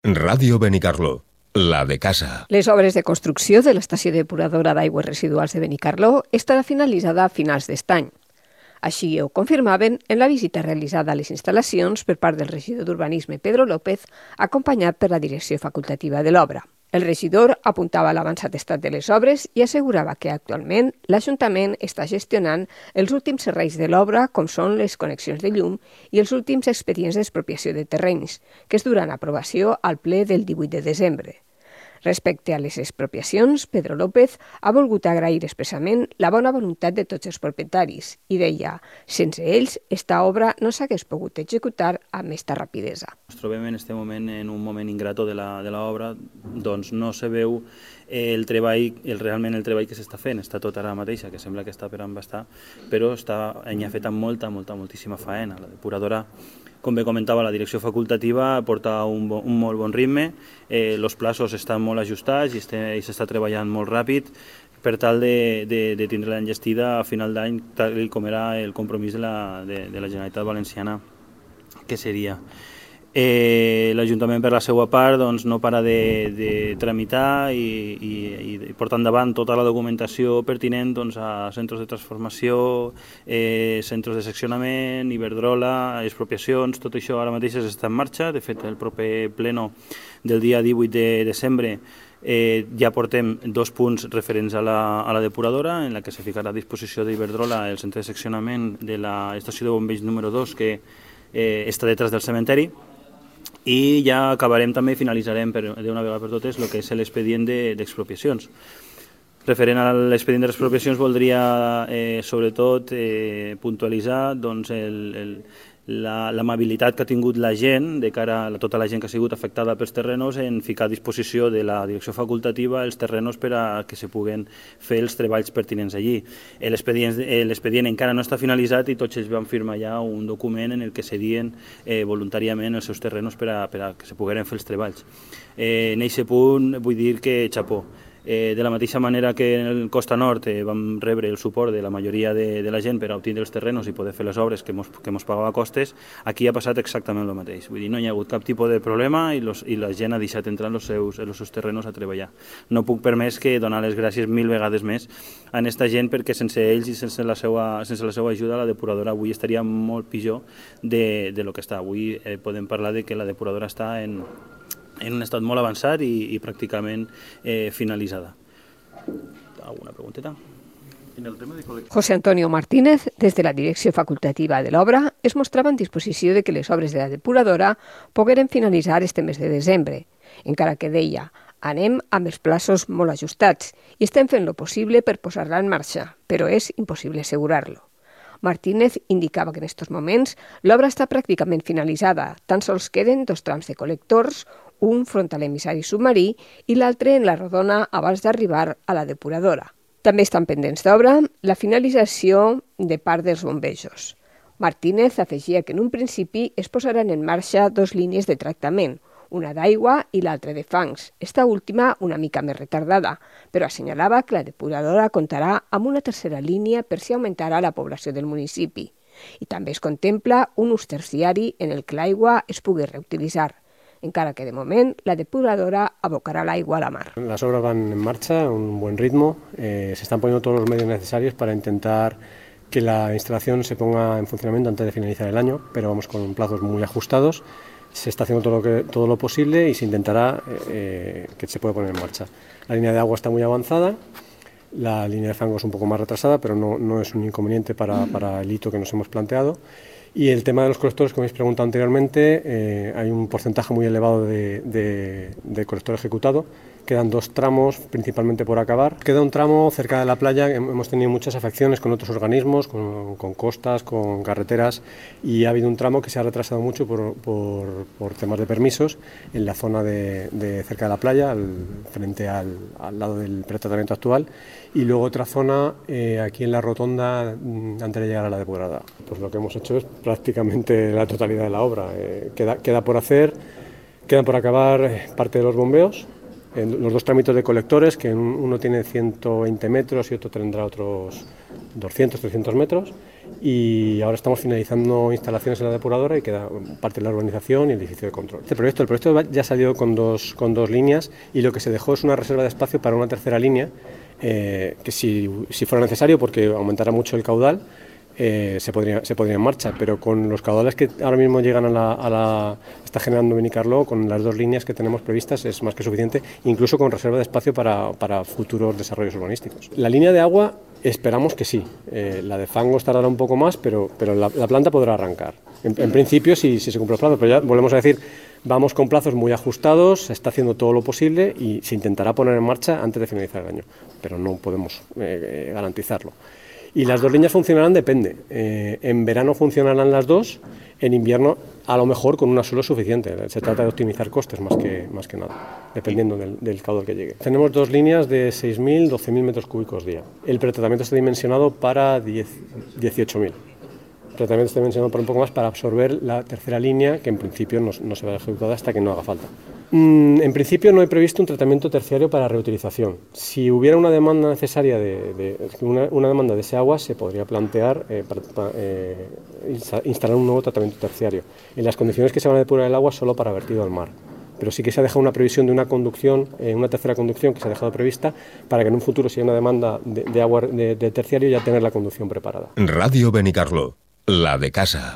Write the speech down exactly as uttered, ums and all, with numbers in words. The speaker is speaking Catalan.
Ràdio Benicarló, la de casa. Les obres de construcció de l'estació depuradora d'aigües residuals de Benicarló estarà finalitzada a finals d'aquest any. Així ho confirmaven en la visita realitzada a les instal·lacions per part del regidor d'Urbanisme Pedro López, acompanyat per la direcció facultativa de l'obra. El regidor apuntava l'avançat estat de les obres i assegurava que actualment l'Ajuntament està gestionant els últims serveis de l'obra, com són les connexions de llum i els últims expedients d'expropiació de terrenys, que es duran a aprovació al ple del divuit de desembre. Respecte a les expropiacions, Pedro López ha volgut agrair expressament la bona voluntat de tots els propietaris i deia, sense ells, esta obra no s'hagués pogut executar amb esta rapidesa. Ens trobem en aquest moment en un moment ingrato de l'obra, doncs no se veu el treball, el, realment el treball que s'està fent, està tot ara mateixa, que sembla que està per embastar, però està, hi ha fet molta, molta, moltíssima faena. La depuradora, com bé comentava, la direcció facultativa porta un, bo, un molt bon ritme, eh, els plaços estan molt ajustats i s'està treballant molt ràpid per tal de, de, de tindre la enllestida a final d'any, tal com era el compromís de la, de, de la Generalitat Valenciana, que seria. Eh, L'Ajuntament, per la seva part, doncs, no para de, de tramitar i, i, i portar endavant tota la documentació pertinent doncs, a centres de transformació, eh, centres de seccionament, Iberdrola, expropiacions, tot això ara mateix està en marxa. De fet, el proper pleno del dia divuit de desembre eh, ja portem dos punts referents a la, a la depuradora, en la que se ficarà a disposició d'Iberdrola el centre de seccionament de l'estació de bombers número dos, que eh, està detrás del cementeri. I ja acabarem també, finalitzarem d'una vegada per totes el que és l'expedient d'expropiacions. Referent a l'expedient d'expropiacions voldria eh, sobretot eh, puntualitzar doncs, l'amabilitat que ha tingut la gent, de cara a tota la gent que ha sigut afectada pels terrenos, en ficar a disposició de la direcció facultativa els terrenos per a que se puguen fer els treballs pertinents allí. L'expedient encara no està finalitzat i tots ells van firmar ja un document en el que cedien eh, voluntàriament els seus terrenos per a, per a que se pogueren fer els treballs. Eh, en aquest punt vull dir que xapó. Eh, de la mateixa manera que en el Costa Nord eh, vam rebre el suport de la majoria de, de la gent per a obtindre els terrenos i poder fer les obres que mos, que mos pagava costes, aquí ha passat exactament el mateix. Vull dir, no hi ha hagut cap tipus de problema i, los, i la gent ha deixat entrar en els seus, en els seus terrenos a treballar. No puc permès que donar les gràcies mil vegades més a aquesta gent, perquè sense ells i sense la seva, sense la seva ajuda la depuradora avui estaria molt pitjor de, de lo que està. Avui eh, podem parlar de que la depuradora està en en un estat molt avançat i, i pràcticament eh, finalitzada. Alguna pregunteta? José Antonio Martínez, des de la direcció facultativa de l'obra, es mostrava en disposició de que les obres de la depuradora pogueren finalitzar este mes de desembre, encara que deia, anem amb els plaços molt ajustats i estem fent lo possible per posar-la en marxa, però és impossible assegurar-lo. Martínez indicava que en aquests moments l'obra està pràcticament finalitzada, tan sols queden dos trams de col·lectors, un front a l'emissari submarí i l'altre en la rodona abans d'arribar a la depuradora. També estan pendents d'obra la finalització de part dels bombejos. Martínez afegia que en un principi es posaran en marxa dos línies de tractament, una d'aigua i l'altra de fangs, esta última una mica més retardada, però assenyalava que la depuradora comptarà amb una tercera línia per si augmentarà la població del municipi. I també es contempla un ús terciari en el que l'aigua es pugui reutilitzar, encara que de moment la depuradora abocará el agua a la mar. Las obras van en marcha a un buen ritmo, eh, se están poniendo todos los medios necesarios para intentar que la instalación se ponga en funcionamiento antes de finalizar el año, pero vamos con plazos muy ajustados, se está haciendo todo lo, que, todo lo posible y se intentará eh, que se pueda poner en marcha. La línea de agua está muy avanzada, la línea de fango es un poco más retrasada, pero no, no es un inconveniente para, para el hito que nos hemos planteado. Y el tema de los colectores, como habéis preguntado anteriormente, eh, hay un porcentaje muy elevado de, de, de colector ejecutado. Quedan dos tramos, principalmente por acabar. Queda un tramo cerca de la playa, hemos tenido muchas afecciones con otros organismos, con, con costas, con carreteras, y ha habido un tramo que se ha retrasado mucho por, por, por temas de permisos en la zona de, de cerca de la playa, al, frente al, al lado del pretratamiento actual, y luego otra zona eh, aquí en la rotonda antes de llegar a la depuradora. Pues lo que hemos hecho es prácticamente la totalidad de la obra. Eh, queda, queda por hacer, quedan por acabar parte de los bombeos, en los dos tramitos de colectores, que uno tiene ciento veinte metros y otro tendrá otros doscientos, trescientos metros, y ahora estamos finalizando instalaciones en la depuradora y queda parte de la urbanización y el edificio de control. Este proyecto, el proyecto ya salió con dos, con dos líneas, y lo que se dejó es una reserva de espacio para una tercera línea, eh, que si, si fuera necesario, porque aumentará mucho el caudal, Eh, se, podría, se podría en marcha, pero con los caudales que ahora mismo llegan a la, a la está generando Benicarló, con las dos líneas que tenemos previstas es más que suficiente, incluso con reserva de espacio para, para futuros desarrollos urbanísticos. La línea de agua esperamos que sí, eh, la de fangos tardará un poco más, pero, pero la, la planta podrá arrancar. En, en principio si, si se cumple el plazo, pero ya volvemos a decir, vamos con plazos muy ajustados, se está haciendo todo lo posible y se intentará poner en marcha antes de finalizar el año, pero no podemos eh, garantizarlo. Y las dos líneas funcionarán, depende. Eh, en verano funcionarán las dos, en invierno a lo mejor con una solo es suficiente. Se trata de optimizar costes más que, más que nada, dependiendo del, del caudal que llegue. Tenemos dos líneas de seis mil, doce mil metros cúbicos día. El pretratamiento está dimensionado para dieciocho mil. El tratamiento está dimensionado para un poco más para absorber la tercera línea, que en principio no, no se va a ejecutar hasta que no haga falta. Mm, en principio no hay previsto un tratamiento terciario para reutilización. Si hubiera una demanda necesaria de, de una, una demanda de ese agua, se podría plantear eh, para, para, eh, instalar un nuevo tratamiento terciario. En las condiciones que se van a depurar el agua solo para vertido al mar. Pero sí que se ha dejado una previsión de una conducción, eh, una tercera conducción que se ha dejado prevista para que en un futuro, si hay una demanda de, de agua de, de terciario, ya tener la conducción preparada. Radio Benicarló, la de casa.